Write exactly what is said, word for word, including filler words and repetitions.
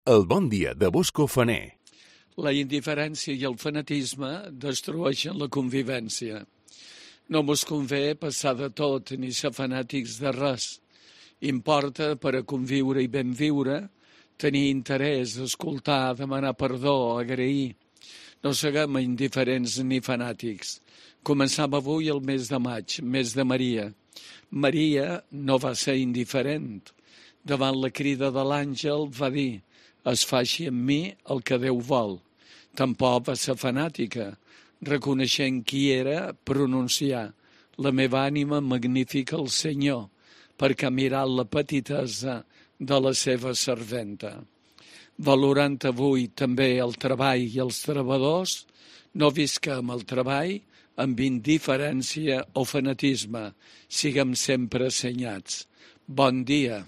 El bon dia de Bosco Faner. La indiferència i el fanatisme destrueixen la convivència. No mos convé passar de tot ni ser fanàtics de res. Importa, per a conviure i ben viure, tenir interès, escoltar, demanar perdó, agrair. No siguem indiferents ni fanàtics. Començam avui el mes de maig, mes de Maria. Maria no va ser indiferent. Davant la crida de l'àngel va dir: es faci en mi el que Déu vol. Tampoc va ser fanàtica, reconeixent qui era, pronunciar: la meva ànima magnifica el Senyor, perquè ha mirat la petitesa de la seva serventa. Valorant avui també el treball i els treballadors, no visquem el treball amb indiferència o fanatisme, siguem sempre assenyats. Bon dia.